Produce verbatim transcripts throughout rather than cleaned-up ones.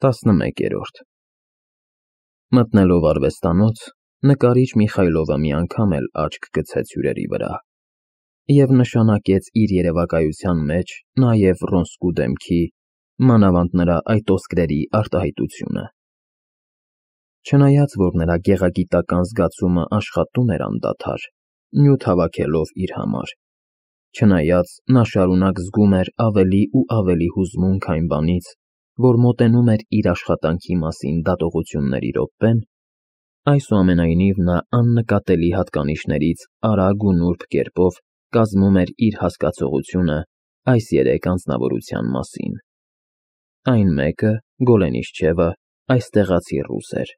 տասնմեկերորդ Մտնելով արվեստանոց, նկարիչ Միխայլովը մի անգամ էլ աչք գցեց հյուրերի վրա և նշանակեց իր երևակայության մեջ նաև Վռոնսկու դեմքի, մանավանդ նրա այդ ոսկրերի արտահայտությունը։ Չնայած որ նրա գեղագիտական զգացումը աշխատում էր անդադար, նյութ հավաքելով իր համար, չնայած նա շարունակ զգում էր ավելի ու ավելի հուզմունք այն բանից, որ մոտենում էր իր աշխատանքի մասին դատողությունների րոպեն, այսուամենայնիվ նա աննկատելի հատկանիշներից արագ ու նուրբ կերպով կազմում էր իր հասկացողությունը այս երեք անձնավորության մասին. այն մեկը, Գոլենիշչևը, այստեղացի ռուս էր։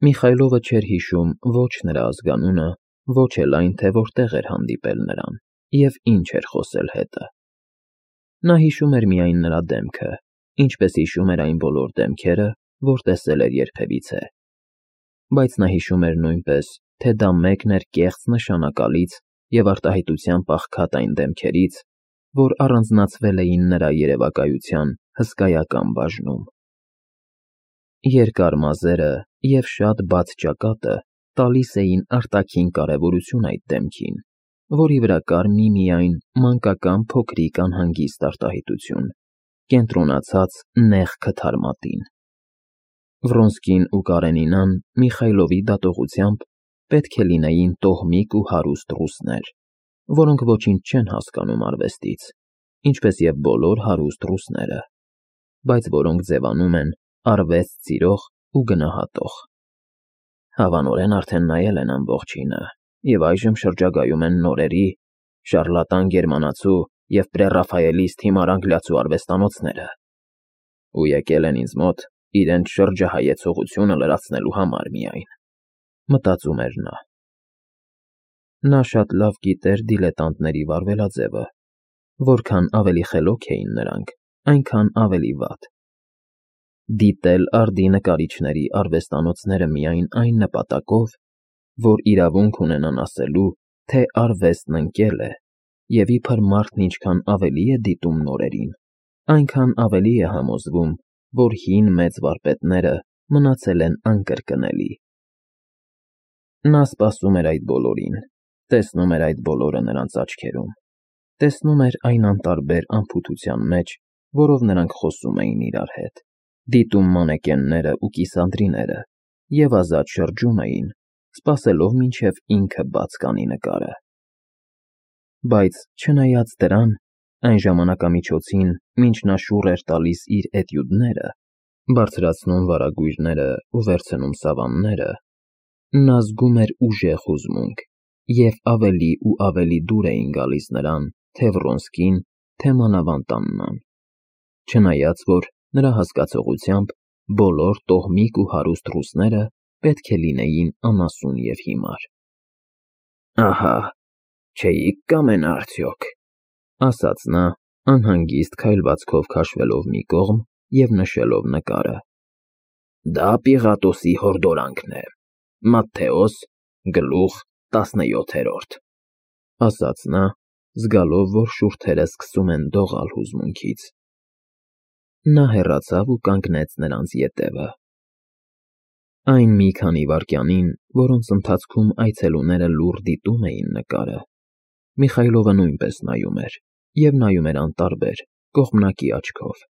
Միխայլովը չէր հիշում ոչ նրա ազգանունը, ոչ էլ այն, թե որտեղ էր հանդիպել նրան և ինչ էր խոսել հետը։ Նա հիշում էր միայն նրա դեմքը, ինչպես հիշում էր այն բոլոր դեմքերը, որ տեսել էր երբևիցե, բայց նա հիշում էր նույնպես, թե դա մեկն էր կեղծ նշանակալից և արտահայտությամբ աղքատ այն դեմքերից, որ առանձնացվել էին նրա երևակայության հսկայական բաժնում։ Երկար մազերը և շատ բաց ճակատը տալիս էին արտաքին կարևորություն այդ դեմքին, որի վրա կար միմիայն մանկական փոքրիկ անհանգիստ արտահայտություն, կենտրոնացած նեղ քթար մատին։ Վռոնսկին ու Կարենինան Միխայլովի դատողությամբ պետք է լինեին տոհմիկ ու հարուստ ռուսներ, որոնք ոչինչ չեն հասկանում արվեստից, ինչպես և բոլոր հարուստ ռուսները, բայց որոնք ձևանում են արվեստ սիրող ու գնահատող։ Հավանորեն արդեն նայել են ամբողջինը և այժմ շրջագայում են նորերի, շառլատան գերմանացու և պրեռաֆայելիստ հիմար անգլիացու արվեստանոցները ու եկել են ինձ մոտ իրենց շրջահայեցողությունը լրացնելու համար միայն, մտածում էր նա։ Նա շատ լավ գիտեր դիլետանտների վարվելաձևը, որքան ավելի խելոք էին նրանք, այնքան ավելի վատ։ Դիտել արդի նկարիչների արվեստանոցները միայն այն նպատակով, որ իրավունք ունենան ասելու, թե արվեստն ընկել է, և իբր մարդն ինչքան ավելի է դիտում նորերին, այնքան ավելի է համոզվում, որ հին մեծ վարպետները մնացել են անկրկնելի։ Նա սպասում էր այդ բոլորին, տեսնում էր այդ բոլորը նրանց աչքերում, տեսնում էր այն անտարբեր անփութության մեջ, որով նրանք խոսում էին իրար հետ, դիտում մանեկենները ու կիսանդրիները և ազատ շրջում էին, սպասելով մինչև ինքը բաց կանի նկարը։ Բայց չնայած դրան, այն ժամանակամիջոցին, մինչ նա շուռ էր տալիս իր էտյուդները, բարձրացնում վարագույրները ու վերցնում սավանները, նա զգում էր ուժեղ հուզմունք, և ավելի ու ավելի դուր էին գալիս նրան թե Վռոնսկին, թե մանավանդ Աննան, չնայած որ նրա հասկացողությամբ բոլոր տոհմիկ ու հարուստ ռուսները պետք է լինեին անասուն և հիմար։ «Ահա, չէի՞ք կամենա արդյոք», ասաց նա, անհանգիստ քայլվածքով քաշվելով մի կողմ և նշելով նկարը։ «Դա Պիղատոսի հորդորանքն է, Մատթեոս, գլուխ տասնյոթերորդ», ասաց նա, զգալով, որ շուրթերը սկսում են դողալ հուզմունքից։ Նա հեռացավ ու կանգնեց նրանց ետևը։ Այն մի քանի վայրկյանին, որոնց ընթացքում այցելուները լուռ դիտում էին նկարը, Միխայլովը նույնպես նայում էր, և նայում էր անտարբեր, կողմնակի աչքով։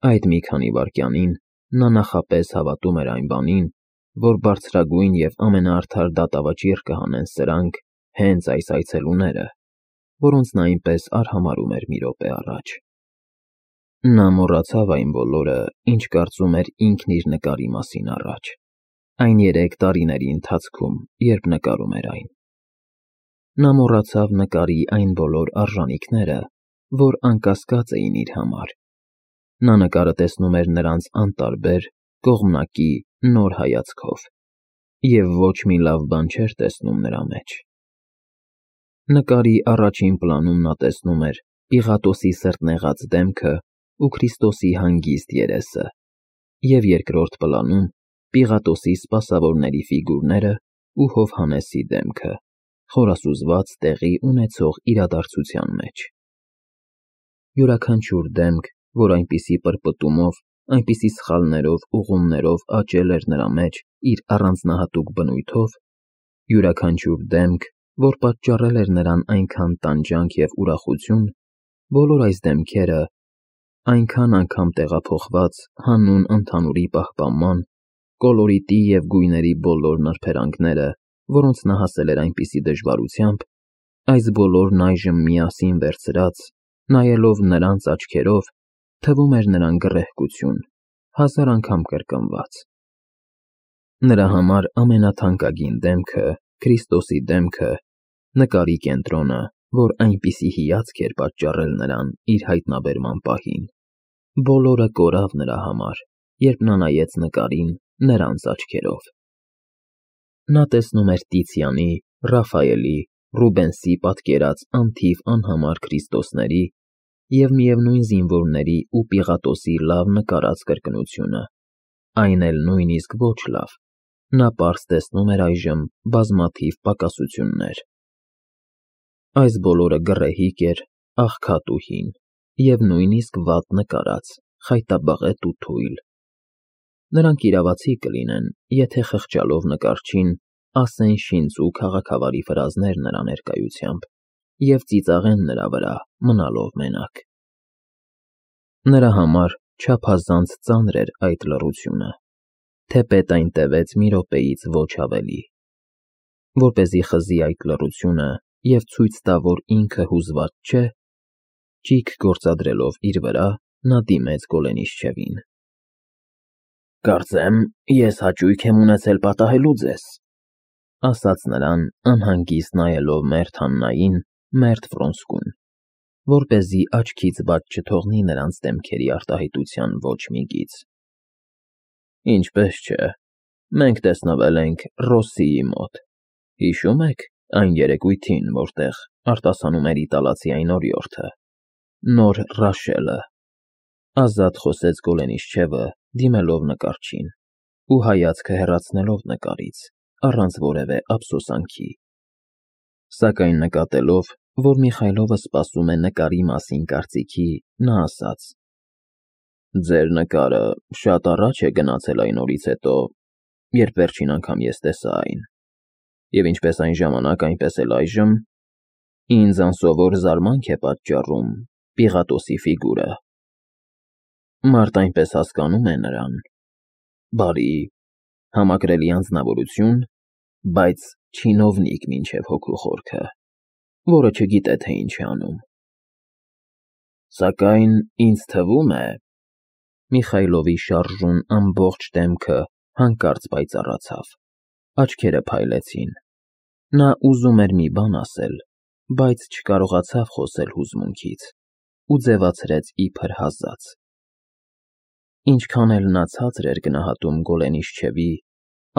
Այդ մի քանի վայրկյանին նա նախապես հավատում էր այն բանին, որ բարձրագույն և ամենաարդար դատավճիռ կհանեն սրանք, հենց այս այցելուները, որոնց նա այնպես արհամարհում էր մի րոպե առաջ։ Նա մոռացավ այն բոլորը, ինչ կարծում էր ինքն իր նկարի մասին առաջ, այն երեք տարիների ընթացքում, երբ նկարում էր այն։ Նա մոռացավ նկարի այն բոլոր արժանիքները, որ անկասկած էին իր համար։ Նա նկարը տեսնում էր նրանց անտարբեր, կողմնակի, նոր հայացքով և ոչ մի լավ բան չէր տեսնում նրա մեջ։ Նկարի առաջին պլանում նա տեսնում էր Պիղատոսի սրտնեղած դեմքը ու Քրիստոսի հանգիստ երեսը, և երկրորդ պլանում Պիղատոսի սպասավորների ֆիգուրները ու Հովհաննեսի դեմքը, խորասուզված տեղի ունեցող իրադարձության մեջ։ Յուրաքանչյուր դեմք որ այնպիսի պրպտումով, այնպիսի սխալներով, ուղումներով աճել էր նրա մեջ իր առանձնահատուկ բնույթով, յուրաքանչյուր դեմք, որ պատճառել էր նրան այնքան տանջանք և ուրախություն, բոլոր այս դեմքերը, այնքան անգամ տեղափոխված հանուն ընդհանուրի պահպանման, կոլորիտի և գույների բոլոր նրբերանգները, որոնց նա հասել էր այնպիսի դժվարությամբ, այս բոլորն այժմ միասին վերցրած, նայելով նրանց աչքերով, թվում էր նրան գռեհկություն, հազար անգամ կրկնված։ Նրա համար ամենաթանկագին դեմքը, Քրիստոսի դեմքը, նկարի կենտրոնը, որ այնպիսի հիացք էր պատճառել նրան իր հայտնաբերման պահին, բոլորը կորավ նրա համար, երբ նա նայեց նկարին նրանց աչքերով։ Նա տեսնում էր Տիցիանի, Ռաֆայելի, Ռուբենսի պատկերած անթիվ անհամար Քրիստոսների և միևնույն զինվորների ու Պիղատոսի լավ նկարած կրկնությունը, այն էլ նույնիսկ ոչ լավ, նա պարզ տեսնում էր այժմ բազմաթիվ պակասություններ։ Այս բոլորը գռեհիկ էր, աղքատ ու հին, և նույնիսկ վատ նկարած, խայտաբղետ ու թույլ։ Նրանք իրավացի կլինեն, եթե խղճալով նկարչին ասեն շինծ ու քաղաքավարի ֆրազներ նրա ներկայությամբ և ծիծաղեն նրա վրա, մնալով մենակ։ Նրա համար չափազանց ծանր էր այդ լռությունը, թեպետ այն տևեց մի րոպեից ոչ ավելի։ Որպեսզի խզի այդ լռությունը և ցույց տա, որ ինքը հուզված չէ, ճիգ գործադրելով իր վրա, նա դիմեց Գոլենիշչևին։ «Կարծեմ, ես հաճույք եմ ունեցել պատահելու ձեզ», ասաց նրան, անհանգիստ նայելով մերթ Հաննային, մերթ Ֆրոնսկուն, որպեսզի աչքից բաց չթողնի նրանց դեմքերի արտահայտության ոչ մի գիծ։ «Ինչպես չէ, մենք տեսնվել ենք Ռոսսիի մոտ, հիշո՞ւմ եք այն երեկույթին, որտեղ արտասանում էր իտալացի այն օրիորդը, նոր Ռաշելը», ազատ խոսեց Գոլենիշչևը, դիմելով նկարչին ու հայացքը հեռացնելով նկարից, առանց որևէ ափսոսանքի։ Սակայն նկատելով, որ Միխայլովը սպասում է նկարի մասին կարծիքի, նա ասաց. «Ձեր նկարը շատ առաջ է գնացել այն օրից հետո, երբ վերջին անգամ ես տեսա այն, և ինչպես այն ժամանակ, այնպես էլ այժմ ինձ անսովոր զարմանք է պատճառում Պիղատոսի ֆիգուրը։ Մարդ այնպես հասկանում է նրան. բարի, համակրելի անձնավորություն, բայց չինովնիկ մինչև հոգու խորքը, որը չգիտե, թե ինչ է անում։ Սակայն ինձ թվում է…» Միխայլովի շարժուն ամբողջ դեմքը հանկարծ պայծառացավ, աչքերը փայլեցին։ Նա ուզում էր մի բան ասել, բայց չկարողացավ խոսել հուզմունքից ու ձևացրեց իբր հազաց։ Ինչքան էլ նա ցածր էր գնահատում Գոլենիշչևի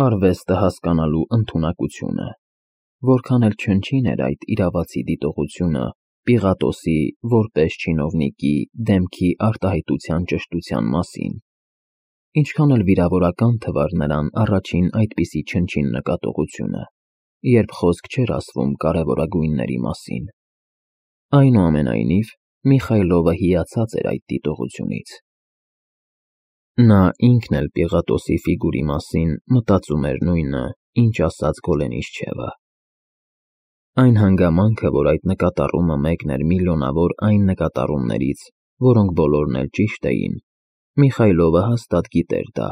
արվեստը հասկանալու ընդունակությունը, որքան էլ չնչին էր այդ իրավացի դիտողությունը Պիղատոսի որպես չինովնիկի դեմքի արտահայտության ճշտության մասին, ինչքան էլ վիրավորական թվար նրան առաջին այդպիսի չնչին նկատողությունը, երբ խոսք չէր ասվում կարևորագույնների մասին, այնուամենայնիվ Միխայլովը հիացած էր այդ դիտողությունից։ Նա ինքն էլ Պիղատոսի ֆիգուրի մասին մտածում էր նույնը, ինչ ասաց Գոլենիշչևը։ Այն հանգամանքը, որ այդ նկատառումը մեկն էր միլիոնավոր այն նկատառումներից, որոնք բոլորն էլ ճիշտ էին, Միխայլովը հաստատ գիտեր դա,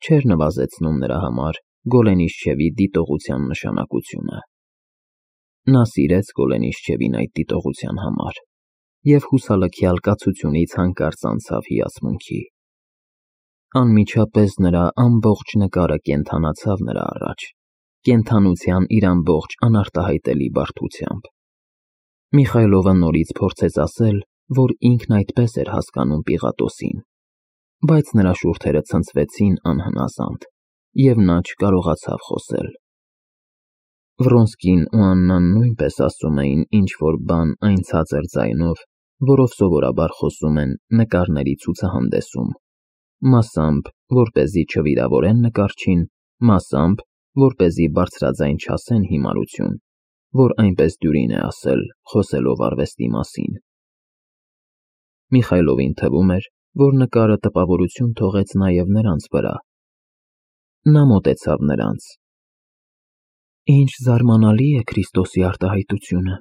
չէր նվազեցնում նրա համար Գոլենիշչևի դիտողության նշանակությունը։ Նա սիրեց Գոլենիշչևին այդ դիտողության համար և հուսալքյալ կացությունից հանկարծ անցավ հիացմունքի։ Անմիջապես նրա ամբողջ նկարը կենդանացավ նրա առաջ, կենդանության իր ամբողջ անարտահայտելի բարդությամբ։ Միխայլովը նորից փորձեց ասել, որ ինքն այդպես էր հասկանում Պիղատոսին, բայց նրա շուրթերը ցնցվեցին անհնազանդ, և նա չկարողացավ խոսել։ Վրոնսկին ու Աննան նույնպես ասում էին ինչ֊որ բան այն ցածր ձայնով, որով սովորաբար խոսում են նկարների ցուցահանդեսում, մասամբ, որպեսզի չվիրավորեն նկարչին, մասամբ, որպեսզի բարձրաձայն չասեն հիմարություն, որ այնպես դյուրին է ասել, խոսելով արվեստի մասին։ Միխայլովին թվում էր, որ նկարը տպավորություն թողեց նաև նրանց վրա։ Նա մոտեցավ նրանց։ Ինչ զարմանալի է Քրիստոսի արտահայտությունը,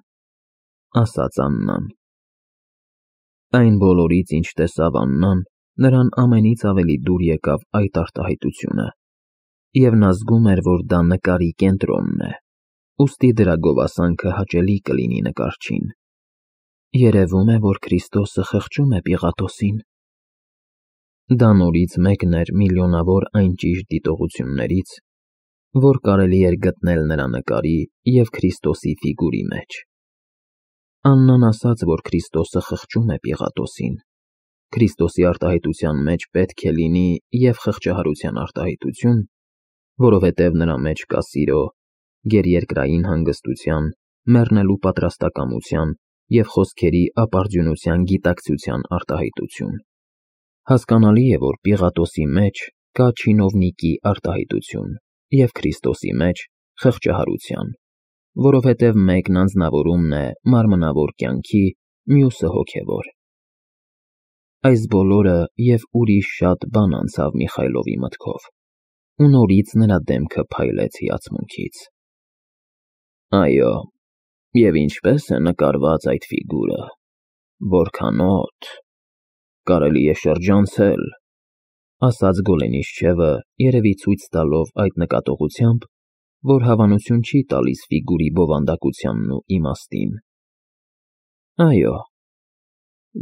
ասաց Աննան։ Այն բոլորից, ինչ տեսավ Աննան, նրան ամենից ավելի դուր եկավ այդ արտահայտությունը, և նա զգում էր, որ դա նկարի կենտրոնն է, ուստի դրա գովասանքը հաճելի կլինի նկարչին։ Երևում է, որ Քրիստոսը խղճում է Պիղատոսին։ Դա նորից մեկն էր միլիոնավոր այն ճիշտ դիտողություններից, որ կարելի էր գտնել նրա նկարի և Քրիստոսի ֆիգուրի մեջ։ Աննան ասաց, որ Քրիստոսը խղճում է Պիղատոսին։ Քրիստոսի արտահայտության մեջ պետք է լինի և խղճահարության արտահայտություն, որովհետև նրա մեջ կա սիրո, գերերկրային հանգստության, մեռնելու պատրաստակամության և խոսքերի ապարդյունության գիտակցության արտահայտություն։ Հասկանալի է, որ Պիղատոսի մեջ կա չինովնիկի արտահայտություն և Քրիստոսի մեջ խղճահարության, որովհետև մեկն անձնավորումն է մարմնավոր կյանքի, մյուսը հոգևոր։ Այս բոլորը և ուրիշ շատ բան անցավ Միխայլովի մտքով, ու նորից նրա դեմքը փայլեց հիացմունքից։ Այո, և ինչպե՞ս է նկարված այդ ֆիգուրը, որքանո՞տ, կարելի է շրջանցել, ասաց Գոլենիշչևը, երևի ցույց տալով այդ նկատողությամբ, որ հավանություն չի տալիս ֆիգուրի բովանդակությանն ու իմաստին։ Այո,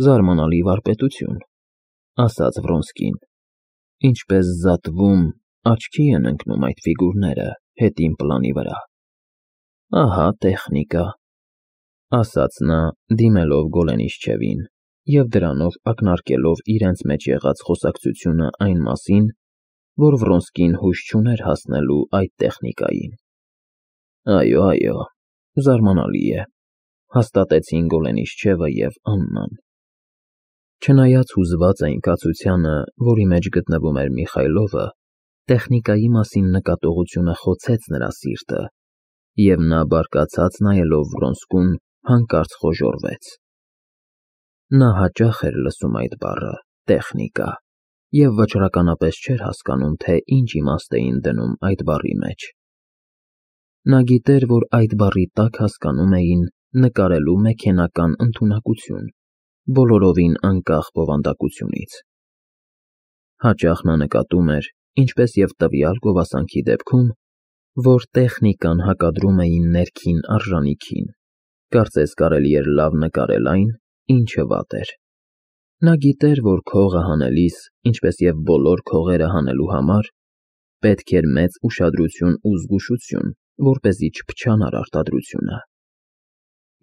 զարմանալի վարպետություն, ասաց Վրոնսկին, ինչպես զատվում, աչքի են ընկնում այդ ֆիգուրները հետին պլանի վրա։ Ահա տեխնիկա, ասաց նա, դիմելով Գոլենիշչևին և դրանով ակնարկելով իրենց մեջ եղած խոսակցությունը այն մասին, որ Վրոնսկին հույս չուներ հասնելու այդ տեխնիկային։ Այո, այո, զարմանալի է, հաստատեցին Գոլենիշչևը և Աննան։ Չնայած հուզված այն կացությանը, որի մեջ գտնվում էր Միխայլովը, տեխնիկայի մասին նկատողությունը խոցեց նրա սիրտը, և նա բարկացած նայելով Վրոնսկուն հանկարծ խոժոռվեց։ Նա հաճախ էր լսում այդ բառը տեխնիկա և վճռականապես չէր հասկանում, թե ինչ իմաստ էին դնում այդ բառի մեջ։ Նա գիտեր, որ այդ բառի տակ հասկանում էին նկարելու մեքենական ընդունակություն, բոլորովին անկախ բովանդակությունից։ Հաճախ նա նկատում էր, ինչպես և տվյալ գովասանքի դեպքում, որ տեխնիկան հակադրում էին ներքին արժանիքին, կարծես կարելի էր լավ նկարել այն, ինչը վատ էր։ Նա գիտեր, որ քողը հանելիս, ինչպես և բոլոր քողերը հանելու համար, պետք էր մեծ ուշադրություն ու զգուշություն, որպեսզի չփչանար արտադրությունը։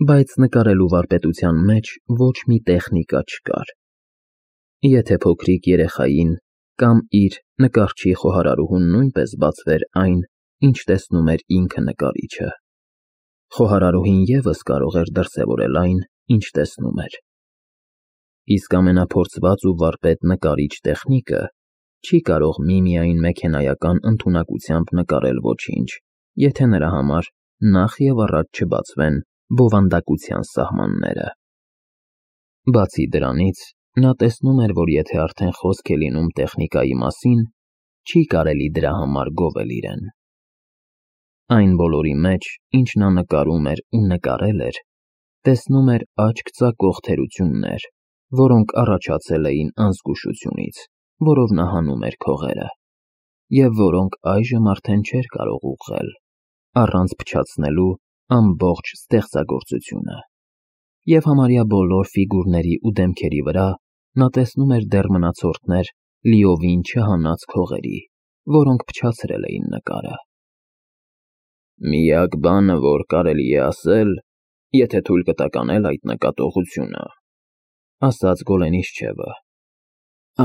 Բայց նկարելու վարպետության մեջ ոչ մի տեխնիկա չկար։ Եթե փոքրիկ երեխային կամ իր նկարչի խոհարարուհուն նույնպես բացվեր այն, ինչ տեսնում էր ինքը նկարիչը, խոհարարուհին ևս կարող էր դրսևորել այն, ինչ տեսնում էր։ Իսկ ամենափորձված ու վարպետ նկարիչ տեխնիկը չի կարող միմիայն մեքենայական ընդունակությամբ նկարել ոչինչ, եթե նրա համար նախ և առաջ չբացվեն բովանդակության սահմանները։ Բացի դրանից, նա տեսնում էր, որ եթե արդեն խոսք է լինում տեխնիկայի մասին, չի կարելի դրա համար գովել իրեն։ Այն բոլորի մեջ, ինչ նա նկարում էր ու նկարել էր, տեսնում էր աչք ծակող թերություններ, որոնք առաջացել էին անզգուշությունից, որով նա հանում էր քողերը, և որոնք այժմ արդեն չէր կարող ուղղել, առանց փչացնելու ամբողջ ստեղծագործությունը։ Եվ համարյա բոլոր ֆիգուրների ու դեմքերի վրա նա տեսնում էր դեռ մնացորդներ լիովին չհանած քողերի, որոնք փչացրել էին նկարը։ Միակ բանը, որ կարելի է ասել, եթե թույլ կտաք անել այդ նկատողությունը, ասաց Գոլենիշչևը։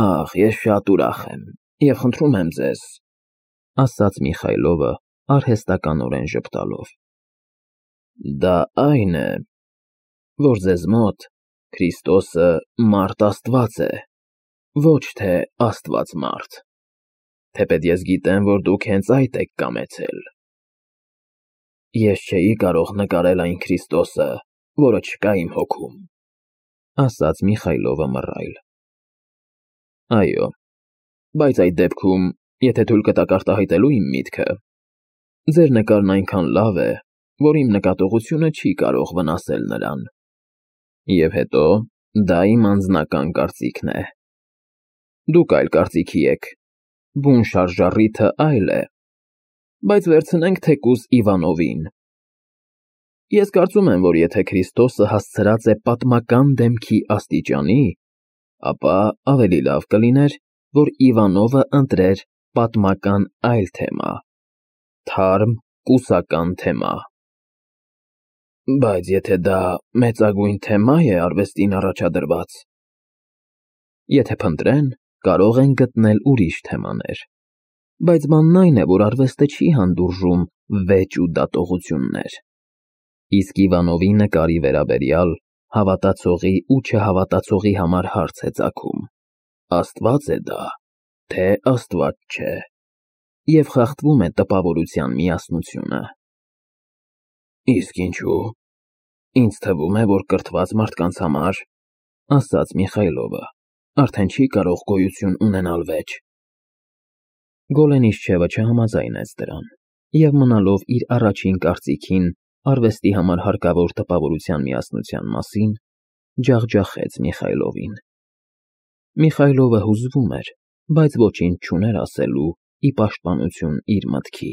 Ախ, ես շատ ուրախ եմ և խնդրում եմ ձեզ, ասաց Միխայլովը, արհեստականորեն ժպտալով։ Դա այն է, որ ձեզ մոտ Քրիստոսը մարդ Աստված է, ոչ թե Աստված մարդ, թեպետ ես գիտեմ, որ դուք հենց այդ եք կամեցել։ Ես չէի կարող նկարել այն Քրիստոսը, որը չկա իմ հոգում։ ասաց Միխայլովը մռայլ։ Այո, բայց այդ դեպքում, եթե թույլ կտաք արտահայտելու իմ միտքը, ձեր նկարն այնքան լավ է, որ իմ նկատողությունը չի կարող վնասել նրան։ Եվ հետո, դա իմ անձնական կարծիքն է։ Դուք այլ կարծիքի եք, բուն շարժառիթը այլ է, բայց վերցնենք թեկուզ Իվանովին։ Ես կարծում եմ, որ եթե Քրիստոսը հասցրած է պատմական դեմքի աստիճանի, ապա ավելի լավ կլիներ, որ Իվանովը ընտրեր պատմական այլ թեմա, թարմ, կուսական թեմա։ Բայց եթե դա մեծագույն թեմա է արվեստին առաջադրված, եթե փնտրեն, կարող են գտնել ուրիշ թեմաներ, բայց բանն այն է, որ արվեստը չի հանդուրժում վեճ ու դատողություններ, իսկ Իվանովի նկարի վերաբերյալ հավատացողի ու չհավատացողի համար հարց է ծագում. Աստված է դա, թե Աստված չէ, և խախտվում է տպավորության միասնությունը։ Իսկ ինչու՞։ Ինձ թվում է, որ կրթված մարդկանց համար, ասաց Միխայլովը, արդեն չի կարող գոյություն ունենալ վեճ։ Գոլենիշչևը չհամաձայնեց դրան և մնալով իր առաջին կարծիքին արվեստի համար հարկավոր տպավորության միասնության մասին, ջախջախեց Միխայլովին։ Միխայլովը հուզվում էր, բայց ոչինչ չուներ ասելու ի պաշտպանություն իր մտքի։